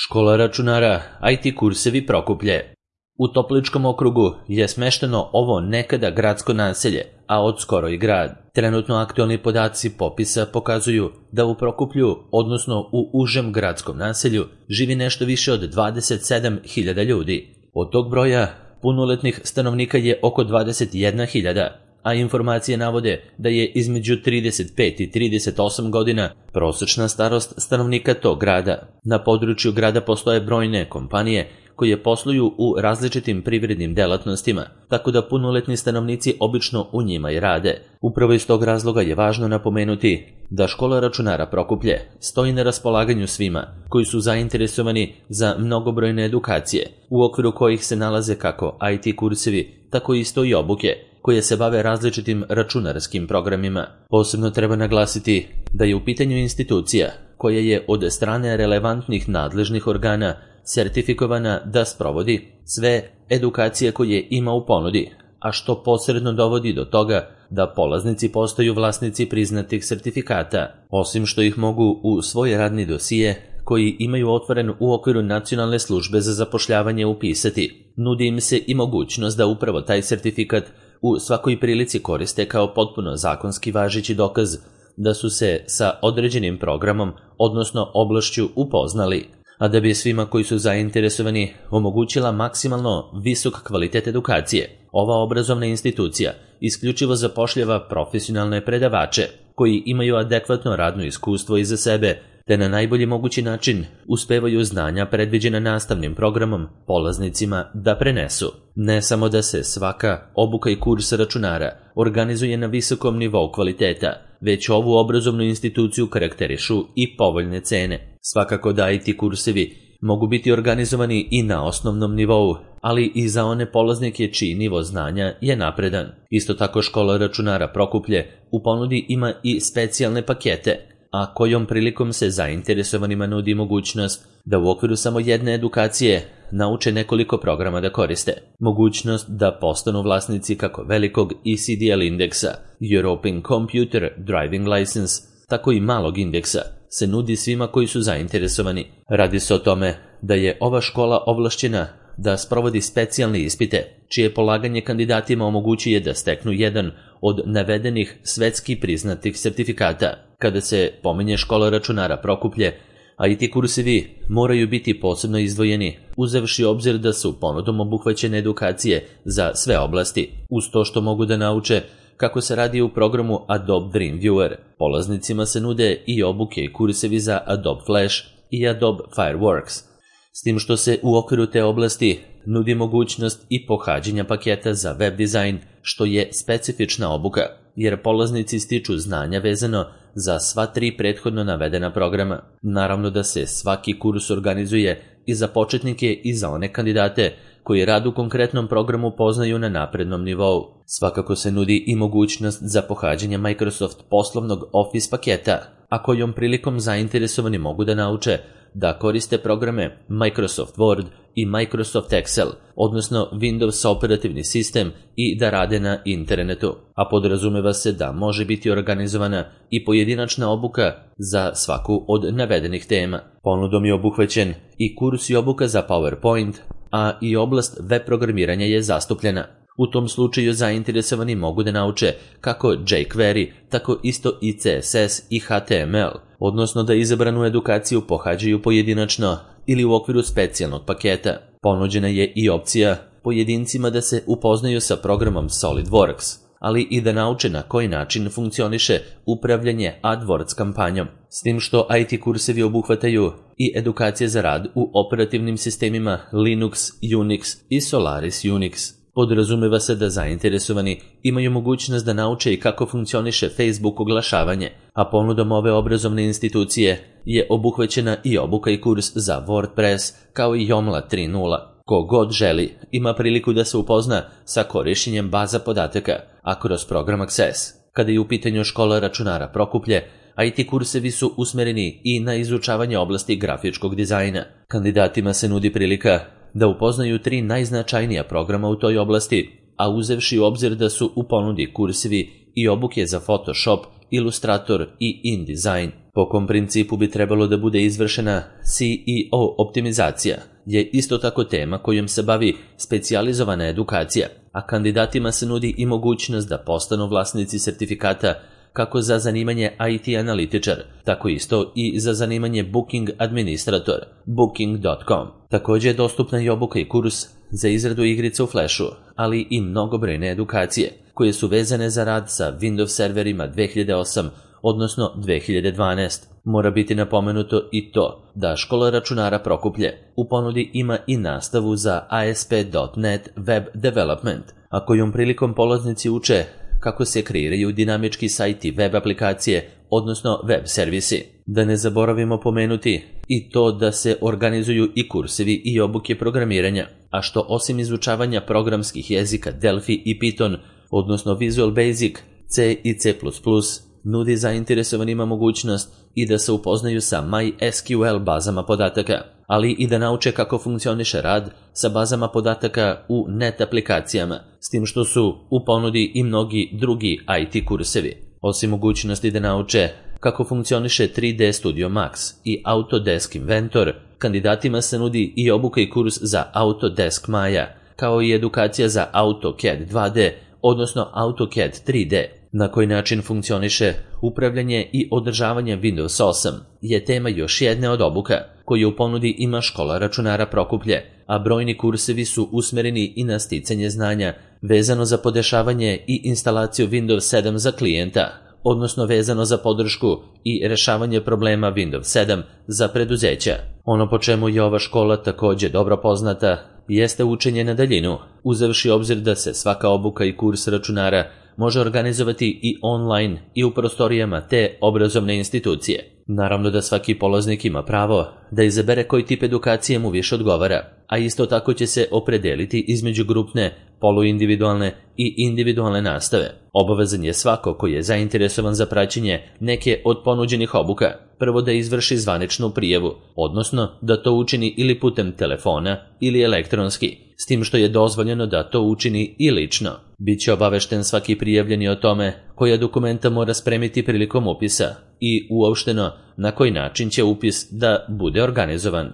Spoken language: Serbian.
Škola računara, IT kursevi Prokuplje. U Topličkom okrugu je smešteno ovo nekada gradsko naselje, a odskoro i grad. Trenutno aktualni podaci popisa pokazuju da u Prokuplju, odnosno u užem gradskom naselju, živi nešto više od 27.000 ljudi. Od tog broja punoletnih stanovnika je oko 21.000, a informacije navode da je između 35 i 38 godina prosečna starost stanovnika tog grada. Na području grada postoje brojne kompanije koje posluju u različitim privrednim delatnostima, tako da punoletni stanovnici obično u njima i rade. Upravo iz tog razloga je važno napomenuti da škola računara Prokuplje stoji na raspolaganju svima koji su zainteresovani za mnogobrojne edukacije, u okviru kojih se nalaze kako IT kursevi, tako isto i obuke koje se bave različitim računarskim programima. Posebno treba naglasiti da je u pitanju institucija koja je od strane relevantnih nadležnih organa sertifikovana da sprovodi sve edukacije koje ima u ponudi, a što posredno dovodi do toga da polaznici postaju vlasnici priznatih sertifikata, osim što ih mogu u svoj radni dosije koji imaju otvoren u okviru Nacionalne službe za zapošljavanje upisati. Nudi im se i mogućnost da upravo taj sertifikat u svakoj prilici koriste kao potpuno zakonski važeći dokaz da su se sa određenim programom, odnosno oblašću upoznali, a da bi svima koji su zainteresovani omogućila maksimalno visok kvalitet edukacije. Ova obrazovna institucija isključivo zapošljava profesionalne predavače koji imaju adekvatno radno iskustvo iza sebe, te na najbolji mogući način uspevaju znanja predviđena nastavnim programom polaznicima da prenesu. Ne samo da se svaka obuka i kurs računara organizuje na visokom nivou kvaliteta, već ovu obrazovnu instituciju karakterišu i povoljne cene. Svakako da IT kursevi mogu biti organizovani i na osnovnom nivou, ali i za one polaznike čiji nivo znanja je napredan. Isto tako škola računara Prokuplje u ponudi ima i specijalne pakete, a kojom prilikom se zainteresovanima nudi mogućnost da u okviru samo jedne edukacije nauče nekoliko programa da koriste. Mogućnost da postanu vlasnici kako velikog ECDL indeksa, European Computer Driving License, tako i malog indeksa, se nudi svima koji su zainteresovani. Radi se o tome da je ova škola ovlašćena da sprovodi specijalne ispite, čije polaganje kandidatima omogućuje da steknu jedan od navedenih svetski priznatih sertifikata. Kada se pominje škola računara Prokuplje, IT kursevi moraju biti posebno izdvojeni, uzevši obzir da su ponudom obuhvaćene edukacije za sve oblasti, uz to što mogu da nauče kako se radi u programu Adobe Dreamweaver. Polaznicima se nude i obuke i kursevi za Adobe Flash i Adobe Fireworks, s tim što se u okviru te oblasti nudi mogućnost i pohađanja paketa za web dizajn, što je specifična obuka, jer polaznici stiču znanja vezano za sva tri prethodno navedena programa. Naravno da se svaki kurs organizuje i za početnike i za one kandidate koji rad u konkretnom programu poznaju na naprednom nivou. Svakako se nudi i mogućnost za pohađanje Microsoft poslovnog Office paketa, a kojom prilikom zainteresovani mogu da nauče da koriste programe Microsoft Word i Microsoft Excel, odnosno Windows operativni sistem, i da rade na internetu, a podrazumeva se da može biti organizovana i pojedinačna obuka za svaku od navedenih tema. Ponudom je obuhvaćen i kurs i obuka za PowerPoint, a i oblast web programiranja je zastupljena. U tom slučaju zainteresovani mogu da nauče kako jQuery, tako isto i CSS i HTML, odnosno da izabranu edukaciju pohađaju pojedinačno ili u okviru specijalnog paketa. Ponuđena je i opcija pojedincima da se upoznaju sa programom SolidWorks, ali i da nauče na koji način funkcioniše upravljanje AdWords kampanjom, s tim što IT kursevi obuhvataju i edukacije za rad u operativnim sistemima Linux, Unix i Solaris Unix. Podrazumeva se da zainteresovani imaju mogućnost da nauče i kako funkcioniše Facebook oglašavanje, a ponudom ove obrazovne institucije je obuhvaćena i obuka i kurs za WordPress kao i Joomla 3.0. Ko god želi ima priliku da se upozna sa korišćenjem baza podataka, a kroz program Access. Kada je u pitanju škola računara Prokuplje, IT kursevi su usmereni i na izučavanje oblasti grafičkog dizajna. Kandidatima se nudi prilika da upoznaju 3 najznačajnija programa u toj oblasti, a uzevši u obzir da su u ponudi kursevi i obuke za Photoshop Illustrator i InDesign. Po kom principu bi trebalo da bude izvršena CEO optimizacija je isto tako tema kojom se bavi specijalizovana edukacija, a kandidatima se nudi i mogućnost da postanu vlasnici sertifikata kako za zanimanje IT analitičar, tako isto i za zanimanje Booking administrator, booking.com. Također je dostupna i obuka i kurs za izradu igrica u Flashu, ali i mnogobrojne edukacije koje su vezane za rad sa Windows serverima 2008, odnosno 2012. Mora biti napomenuto i to da škola računara Prokuplje u ponudi ima i nastavu za ASP.NET Web Development, a kojom prilikom polaznici uče kako se kreiraju dinamički sajti web aplikacije, odnosno web servisi. Da ne zaboravimo pomenuti i to da se organizuju i kursevi i obuke programiranja, a što osim izučavanja programskih jezika Delphi i Python, odnosno Visual Basic, C i C++, nudi zainteresovanima mogućnost i da se upoznaju sa MySQL bazama podataka, ali i da nauče kako funkcioniše rad sa bazama podataka u net aplikacijama, s tim što su u ponudi i mnogi drugi IT kursevi. Osim mogućnosti da nauče kako funkcioniše 3D Studio Max i Autodesk Inventor, kandidatima se nudi i obuka i kurs za Autodesk Maya, kao i edukacija za AutoCAD 2D, odnosno AutoCAD 3D. Na koji način funkcioniše upravljanje i održavanje Windows 8 je tema još jedne od obuka koju u ponudi ima škola računara Prokuplje, a brojni kursevi su usmereni i na sticanje znanja vezano za podešavanje i instalaciju Windows 7 za klijenta, odnosno vezano za podršku i rešavanje problema Windows 7 za preduzeća. Ono po čemu je ova škola također dobro poznata jeste učenje na daljinu, uzevši obzir da se svaka obuka i kurs računara može organizovati i online i u prostorijama te obrazovne institucije. Naravno da svaki polaznik ima pravo da izabere koji tip edukacije mu više odgovara, a isto tako će se opredeliti između grupne, poluindividualne i individualne nastave. Obavezan je svako koji je zainteresovan za praćenje neke od ponuđenih obuka prvo da izvrši zvaničnu prijavu, odnosno da to učini ili putem telefona ili elektronski, s tim što je dozvoljeno da to učini i lično. Biće obavešten svaki prijavljeni o tome koja dokumenta mora spremiti prilikom upisa i uopšteno na koji način će upis da bude organizovan.